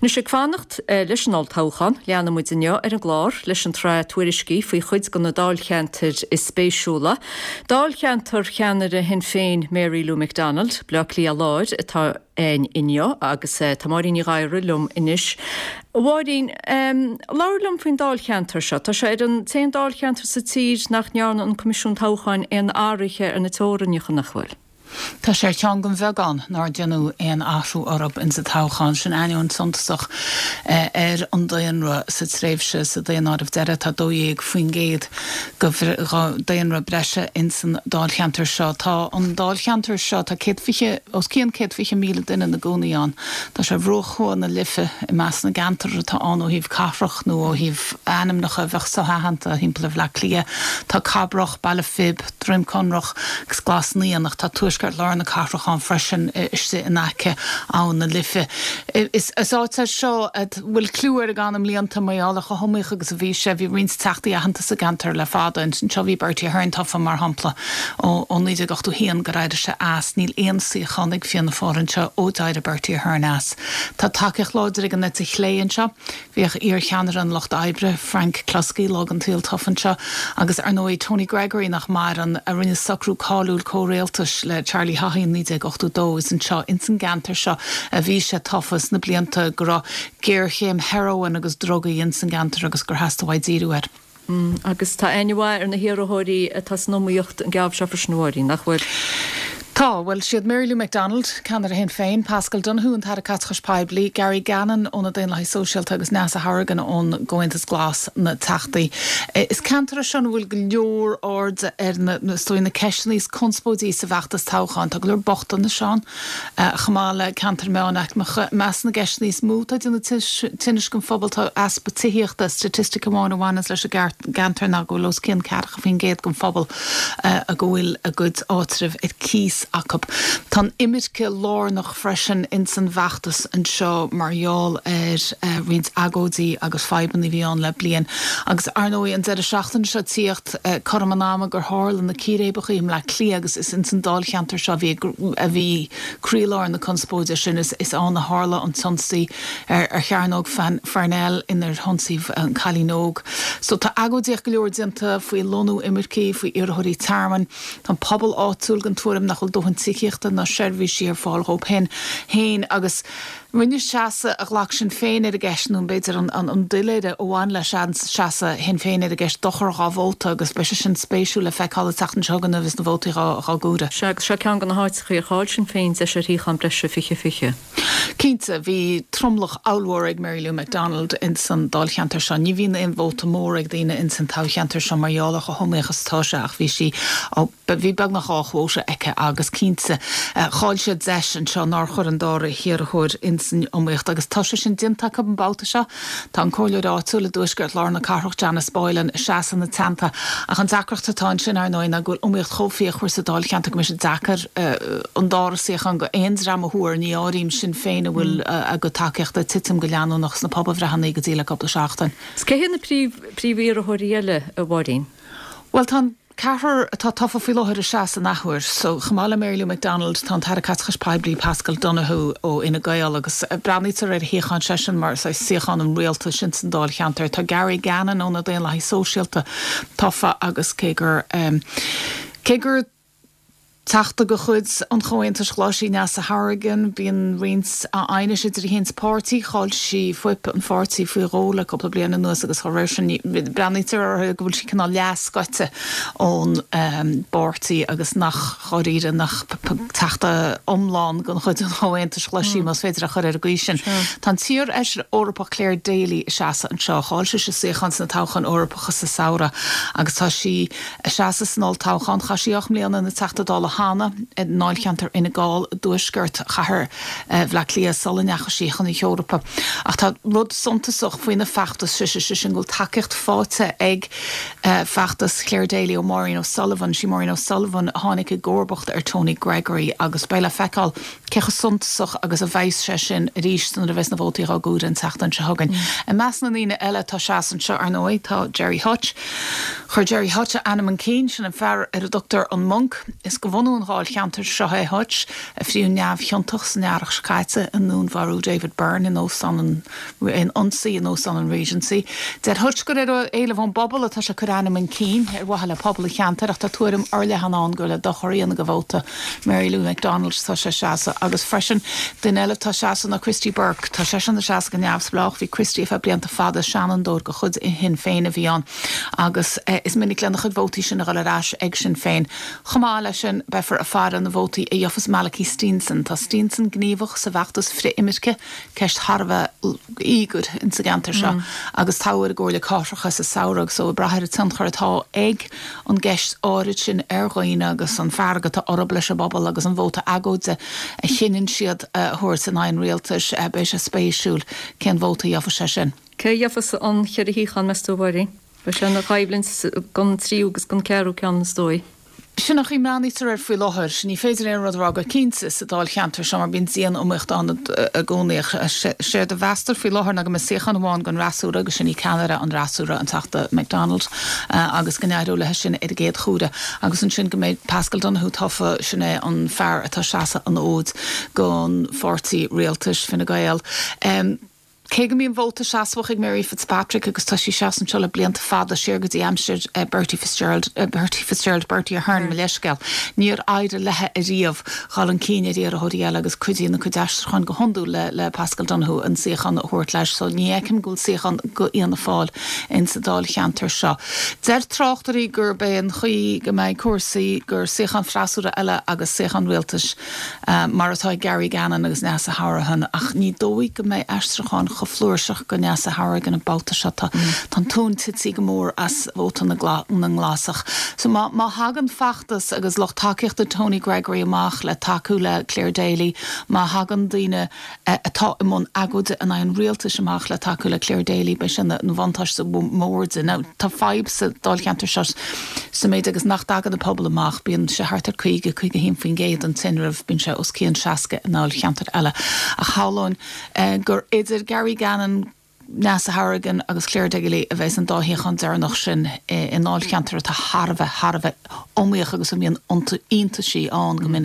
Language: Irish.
Anois ag fanacht leis an olltoghchán, leanfaidh muid inniu ar an gclár leis an tsraith tuairiscí faoi chuid de na dáilcheantair is spéisiúla. Dáilcheantar cheannaire Shinn Féin Mary Lou McDonald, Baile Átha Cliath Láir, atá againn inniu agus tá Máirín Ní Ghadhra liom anois. A Mháirín, labhair liom faoin dáilcheantar seo. Tá sé ar an t-aon dáilcheantar sa tír nach ndearna an Coimisiún Toghcháin aon athruithe ar na teorainneacha, nach bhfuil? Tá sé ar cheann den bheagán nár deineadh aon athrú orthu insa toghchán sin, ainneoin suntasach ar an daonra sa tréimhse sa daonáireamh deiridh. Tá 12% de dhaonra breise insan dáilcheantar seo. Tá an dáilcheantar seo, tá 120, os cionn 120,000 duine ina gcónaí ann. Tá sé ar bhruach thuaidh na Life i measc na gceantar atá ann ó thaobh cathrach nó ó thaobh ainmneacha a bheadh so-aitheanta thimpeall ar Bhleá Cliath. Tá Cabrach, Baile Phib, Droim Conrach agus Glas Naíon ach tá tuaisceart lár na cathrach ann freisin istigh in aice Abhainn na Life. Is áit é seo a bhfuil clú air i gcaitheamh na mblianta mar gheall ar chomh hiomaíoch agus a bhí sé. Bhí roinnt teachtaí aitheanta sa gceantar le fada. Anseo bhí Bertie Ahern tofa mar shampla ó 1981 gur éirigh sé as. Níl aon suíochán ag Fianna Fáil anseo ó d'éirigh Bertie Ahern as. Tá tacaíocht láidir ag an eite chlé anseo. Bhíodh iar-cheannaire an Lucht Oibre, Frank Cluskey, lá den tsaol tofa anseo, agus ar ndóigh Tony Gregory, nach maireann, a rinne socrú cáiliúil comhrialtais le Charlie Haughey in 1982. Is anseo, ins an gceantar seo, a bhí sé tofa sna blianta go raibh géarchéim heroin agus drugaí ins an gceantar agus gur theastaigh uaidh díriú air. Agus tá aithne mhaith ar na hiarrthóirí atá san iomaíocht an geábh seo freisin, a Mháirín, nach bhfuil? Tá. Bhuel, siad Mary Lou McDonald, ceannaire Shinn Féin, Paschal Donohoe, an tAire Caiteachais Poiblí, Gary Gannon ó na Daonlathaigh Sóisialta agus Neasa Hourigan ón gComhaontas Glas na teachtaí. Is ceantar é seo ina bhfuil go leor airde ar na, is dóigh, na ceisteanna is conspóidí sa bhfeachtas toghcháin. Tá go leor bochtanais ann. Chomh maith le ceantair meánaicmeacha, i measc na gceisteanna is mó atá ag déanamh tinnis don phobal tá easpa tithíochta. Staitistic amháin a bhaineanns leis an gceantar ná go bhfuil os cionn 40% den phobal go bhfuil a gcuid áitribh ar cíos acu. Tá an imirce lárnach freisin ins an bhfeachtas anseo mar gheall ar roinnt agóidí agus fadhbanna a bhí ann le bliain. Agus ar ndóigh an deireadh seachtaine seo tíocht cothrom an ama gur tharla na círéibeacha i mBleá Cliath agus is ins an dáilcheantar seo a bhí a bhí croílár na conspóide sin. Is ann a tharla an t-ionsaí ar Chearnóg Pharnell inar hionsaíodh an cailín óg. So tá agóidíocht go leor déanta faoi lonnú imircigh, faoi iarrthóirí tearmainn. Tá an pobal áitiúil den tuairim nach bhfuil dóthain tithíochta ná seirbhísí ar fáil dhóibh féin agus Rinne seasamh a ghlac Sinn Féin ar an gceist, nó b'fhéidir an doiléire a bhain le seasamh Shinn Féin ar an gceist, dochar dhá vóta agus beidh sé sin spéisiúil le feiceáil an tseachtain seo chugainn nuair a bheas na vótaí dhá gcomhaireamh. Sea, agus seo ceann de na háiteachaí ar chaill Sinn Féin deis ar shuíochán breise 2020. Cinnte, bhí tromlach ollmhór ag Mary Lou McDonald ins an dáilcheantar seo. Ní bhíonn aon vóta mór ag daoine ins an toghcheantar seo mar gheall ar chomh hiomaíoch is atá sé ach bhí sí Bhí beagnach dhá chuóta aici agus cinnte, chaill siad deis anseo nár chuir an dara hiarrthóir ins an iomaíocht agus tá sé sin déanta acu an babhta seo. Tá an comhairleoir áitiúil i dtuaisceart lár na cathrach, Janice Boylan, ag seasamh ina teannta ach an deacracht atá ansin, ar ndóigh, ná go bhfuil iomaíocht chomh fíochmhar sa dáilcheantar go mbeidh sé deacair an dara suíochán go aon dream a thuar, ní áirím Sinn Féin a bhfuil a gcuid tacaíochta ag titim go leanúnach sna pobalbhreitheanna go dtí le cúpla seachtain. Is cé hiad na príomhiarrthóirí eile, a Mháirín? Bhuel, tá an. Ceathrar atá tofa faoi láthair ag seasamh an athuair. So, chomh maith le Mary Lou McDonald, tá an tAire Caiteachais Poiblí Paschal Donohoe ó Fhine Gael agus breathnaítear ar a shuíochán seisean mar saghas suíochán an rialtais ins an dáilcheantar. Tá Gary Gannon ó na Daonlathaigh Sóisialta tofa agus cé gur cé gur Teachta de chuid an Chomhaontais Ghlais í Neasa Hourigan, bíonn roinnt aighnis idir í féin is a páirtí. Chaill sí fuip an pháirtí faoi dhó le cúpla bliain anuas agus dá réir sin breathnaítear uirthi go bhfuil sí cineál leath-scoite ón bpáirtí agus nach dháiríre nach teachta iomlán den chuid an Chomhaontais Ghlais í, más féidir a chur ar an gcaoi sin. Tá an t-iar-fheisire Eorpach Clare Daly ag seasamh anseo. Chaill sise suíochán sna toghcháin Eorpacha sa samhradh agus tá sí Ag seasamh san olltoghchán, chaith sí 8 mbliana ina Teachta Dála cheana i ndáilcheantar Fhine Gall i dtuaisceart chathair Bhaile Átha Cliath sula ndeachaigh sí chun na hEorpa. Ach tá rud suntasach faoina feachtas sise, sé sin go bhfuil tacaíocht faighte ag feachtas Clare Daly ó Maureen O'Sullivan. Sí Maureen O'Sullivan a tháinig i gcomharbacht ar Tony Gregory agus beidh le feiceáil cé chomh suntasach agus a bheas sé sin arís nuair a bheas na vótaí dhá gcomhaireamh an tseachtain seo chugainn. I measc na ndaoine eile atá ag seasamh anseo, ar ndóigh, tá Gerry Hutch. Chuir Gerry Hutch a ainm chun cinn, sin an fear ar a dtugtar an Monk. Is go. bunú an dháilcheantair seo é Hutch, a fríodh neamhchiontach san earrach seo caite i ndúnmharú David Byrne in óstán an in ionsaí in Óstán an Regency. Deir Hutch gur ar éileamh ón bpobal atá sé ag cur a ainm chun cinn, ar mhaithe le pobal an cheantair, ach tá tuairim fhorleathan ann gur le dochar a dhéanamh do vóta Mary Lou McDonald atá sé ag seasamh. Agus freisin, duine eile atá ag seasamh ná Christy Burke. Tá seisean ag seasamh go neamhspleách. Bhí Christy ar feadh blianta fada, seanfhondúir de chuid Shinn Féin a bhí ann agus is minic lena chuid vótaí sin a dhul ar ais ag Sinn Féin. Chomh maith leis sin, beifear ag faire na vótaí a gheofas Malachy Steenson. Tá Steenson gníomhach sa bhfeachtas frith-imirce. ceist thar a bheith íogair insa gceantar seo agus toghadh ar an gComhairle Cathrach é sa samhradh so ag brath ar an tionchar atá ag an gceist áirid sin ar dhaoine agus an fearg atá orthu leis an bpobal agus an vóta agóide a chinneann siad a thabhairt in aghaidh an rialtais, beidh sé spéisiúil cén vóta a gheofas sé sin. Cé a gheofas an cheithre shuíochán, meas tú, a Mháirín? Beidh sé ina choimhlint don tríú agus don ceathrú ceann is dóigh. Sin an chaoi a mbreathnaítear air faoi láthair. Ní féidir aon rud a rá go cinnte sa dáilcheantar seo mar bíonn dian-iomaíocht ann i gcónaí. Séard a mheastar faoi láthair ná go mbeidh suíochán amháin don fhreasúra agus sin í ceannaire an fhreasúra, an Teachta McDonald, agus go n-éireoidh léi sin ar an gcéad chuaire. Agus ansin go mbeidh Paschal Donohoe tofa, sin é an fear atá ag seasamh an fhóid don pháirtí rialtais, Fine Gael. Cé go mbíonn vóta seasmhach ag Mary Fitzpatrick agus tá sí ag seasamh anseo le blianta fada, siar go dtí aimsir Bertie Fitzgerald, Bertie Fitzgerald, Bertie Ahern, mo leithscéal, níor éirigh léi ariamh dhul chun cinn ar iarrthóirí eile agus cuidíonn a cuid aistriúcháin go hiondúil le le Paschal Donohoe an suíochán a thabhairt leis so ní fheicim go bhfuil suíochán go Fhianna Fáil insa dáilcheantar seo. Deir tráchtairí gurb é an chaoi go mbeidh cúrsaí gur suíochán freasúra eile agus suíochán rialtais mar atá ag Gary Gannon agus Neasa Hourihan, ach ní dóigh go mbeidh aistriúchán chomh flúirseach go Neasa Hourigan an babhta seo. Tá an tóin tite go mór as vóta na nGlasach. So má má thagann feachtas agus lucht tacaíochta Tony Gregory amach le tacú le Clare Daly, má thagann daoine atá i mbun agóide in aghaidh an rialtais amach le tacú le Clare Daly, beidh sé ina bhuntáiste mór di. Now, tá fadhb sa dáilcheantar seo sa méid agus nach dtagann an pobal amach, bíonn sé thart ar 50, 51% an tinreamh, bíonn sé os cionn 60 i ndáilcheantair eile. Ach shamhlóinn gur idir Gary Gannon, Neasa Hourigan agus Clare Daly a bheas an dá shuíochán deireanach sin i ndáilcheantar atá thar a bheith, thar a bheith iomaíoch agus a mbíonn iontaisí ann go minic.